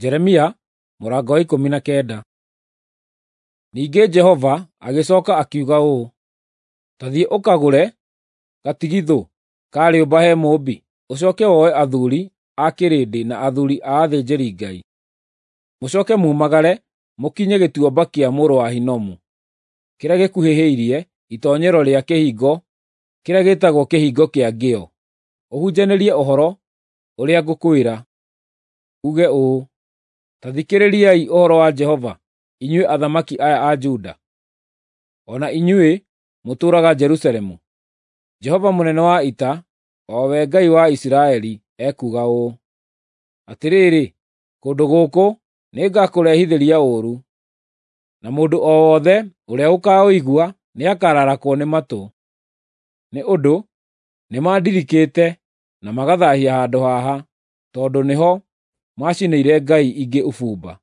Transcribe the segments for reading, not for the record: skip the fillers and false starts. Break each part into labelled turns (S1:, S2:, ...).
S1: Jeremia mũrango wa 19. Ningĩ Jehova agĩcoka akiuga ũũ, “Ta thiĩ ũkagũre gatigithũ ka rĩũmba he mũũmbi, ũcoke woe athuri a kĩrĩndĩ na athuri a athĩnjĩri-Ngai. Mũcoke mumagare mũkinye gĩtuamba kĩa mũrũ wa Hinomu, kĩrĩa gĩkuhĩhĩirie itoonyero rĩa kĩhingo kĩrĩa gĩĩtagwo Kĩhingo kĩa Ngĩo, ũhunjanĩrie ũhoro ũrĩa ngũkwĩra, uuge ũũ, ‘Ta thikĩrĩriai ũhoro wa Jehova, inyuĩ athamaki aya a Juda, o na inyuĩ mũtũũraga Jerusalemu. Jehova mũnene wa ita, o we Ngai wa Isiraeli, ekuuga ũũ: Atĩrĩrĩ, kũndũ gũkũ nĩngakũrehithĩria ũũru, na mũndũ o wothe ũrĩa ũkaũigua nĩakararakwo nĩ matũ. Nĩ ũndũ nĩmandirikĩte na magathaahia handũ haha, tondũ nĩho macinĩire ngai ingĩ ũbumba,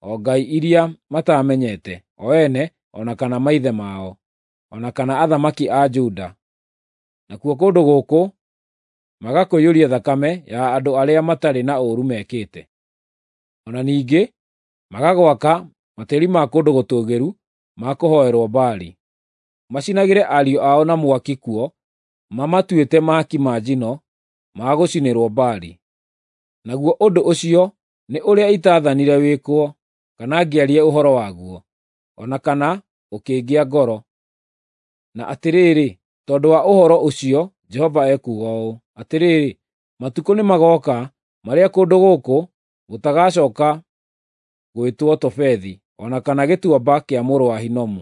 S1: o ngai iria mataamenyete, o ene o na kana maithe mao, o na kana athamaki a Juda. Nakuo kũndũ gũkũ magakũiyũria thakame ya andũ arĩa matarĩ na ũũru mekĩte. O na ningĩ magagwaka matĩri ma kũndũ gũtũũgĩru ma kũhooerwo Baali, macinagĩre ariũ ao na mwaki kuo mamatuĩte mahaki ma njino ma gũcinĩrwo Baali. Naguo ũndũ ũcio nĩ ũrĩa itaathanire wĩkwo, kana ngĩaria ũhoro waguo, o na kana ũkĩngĩa ngoro. Na atĩrĩrĩ, tondũ wa ũhoro ũcio Jehova ekuuga ũũ: Atĩrĩrĩ, matukũ nĩmagooka marĩa kũndũ gũkũ gũtagacooka gwĩtwo Tofethi o na kana Gĩtuamba kĩa mũrũ wa Hinomu,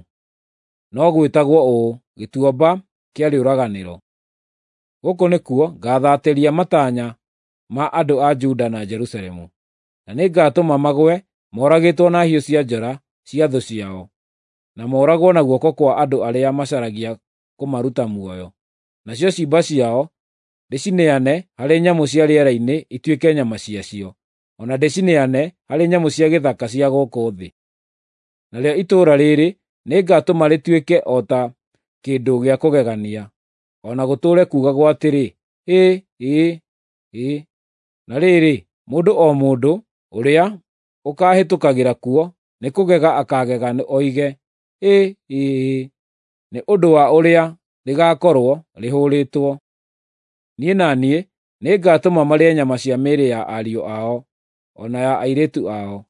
S1: no gwĩtagwo ũũ, Gĩtuamba kĩa Rĩũraganĩro. Gũkũ nĩkuo ngaathatĩria matanya ma andũ a Juda na Jerusalemu, na nĩngatũma magũe moragĩtwo na hiũ cia njora cia thũ ciao, na mooragwo na guoko kwa andũ arĩa macaragia kũmaruta muoyo. Nacio ciimba ciao ndĩcineane harĩ nyamũ cia rĩera-inĩ ituĩke nyama ciacio, o na ndĩcineane harĩ nyamũ cia gĩthaka cia gũkũ thĩ. Narĩo itũũra rĩĩrĩ nĩngatũma rĩtuĩke o ta kĩndũ gĩa kũgegania, o na gũtũũre kuugagwo atĩrĩ, ‘Hĩ! Ĩ! Ĩ!’ Na rĩrĩ, mũndũ o mũndũ ũrĩa ũkaahĩtũkagĩra kuo nĩkũgega akaagega oige, ‘Hĩ! Ĩ!’ nĩ ũndũ wa ũrĩa rĩgaakorwo rĩhũrĩtwo. Niĩ na niĩ nĩngatũma marĩe nyama cia mĩĩrĩ ya ariũ ao o na ya airĩtu ao,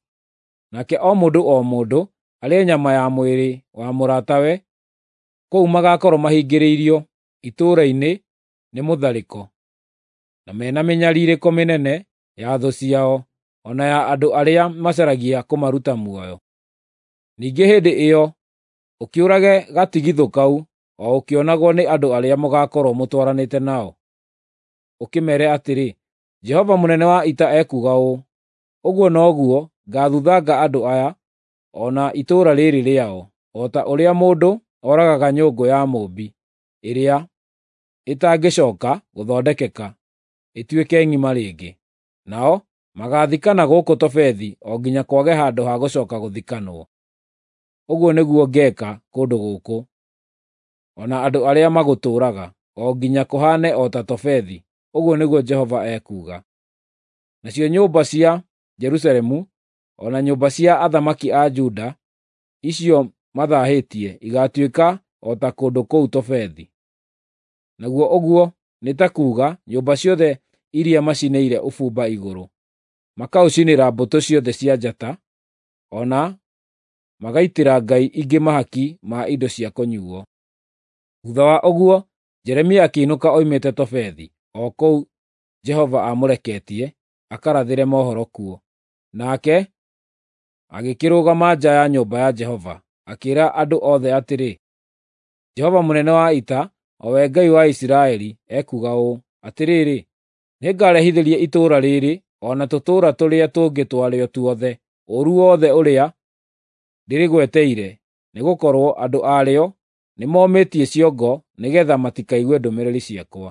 S1: nake o mũndũ o mũndũ arĩe nyama ya mwĩrĩ wa mũratawe kũu magaakorwo mahingĩrĩirio itũũra-inĩ nĩ mũtharĩko, na me na mĩnyariirĩko mĩnene ya thũ ciao, o na ya andũ arĩa macaragia kũmaruta muoyo. Ningĩ hĩndĩ ĩyo ũkĩũrage gatigithũ kau o ũkĩonagwo nĩ andũ arĩa mũgaakorwo mũtwaranĩte nao, ũkĩmeere atĩrĩ, ‘Jehova mũnene wa ita ekuuga ũũ: Ũguo noguo ngaathuthanga andũ aya o na itũũra rĩĩrĩ rĩao, o ta ũrĩa mũndũ oragaga nyũngũ ya mũũmbi ĩrĩa ĩtangĩcooka gũthondekeka ĩtuĩke ng'ima rĩngĩ. Nao magaathikana gũkũ Tofethi o nginya kwage handũ ha gũcooka gũthikanwo. Ũguo nĩguo ngeeka kũndũ gũkũ, o na andũ arĩa magũtũũraga, o nginya kũhaane o ta Tofethi, ũguo nĩguo Jehova ekuuga. Nacio nyũmba cia Jerusalemu o na nyũmba cia athamaki a Juda icio mathaahĩtie igaatuĩka o ta kũndũ kũu Tofethi. Naguo ũguo nĩ ta kuuga nyũmba ciothe iria macinĩire ũbumba igũrũ, makaũcinĩra mbũtũ ciothe cia njata, o na magaitĩra ngai ingĩ mahaki ma indo cia kũnyuuo. Thuutha wa ũguo Jeremia akĩinũka oimĩte Tofethi, o kũu Jehova aamũreketie akarathĩre mohoro kuo. Nake agĩkĩrũgama nja ya nyũmba ya Jehova, akĩĩra andũ othe atĩrĩ, “Jehova mũnene wa ita, o we Ngai wa Isiraeli, ekuuga ũũ: Atĩrĩrĩ, nĩngarehithĩria itũũra rĩĩrĩ o na tũtũũra tũrĩa tũngĩ twarĩo tuothe ũũru wothe ũrĩa ndĩrĩgweteire, nĩgũkorwo andũ arĩo nĩmomĩtie ciongo nĩgeetha matikaigue ndũmĩrĩri ciakwa.”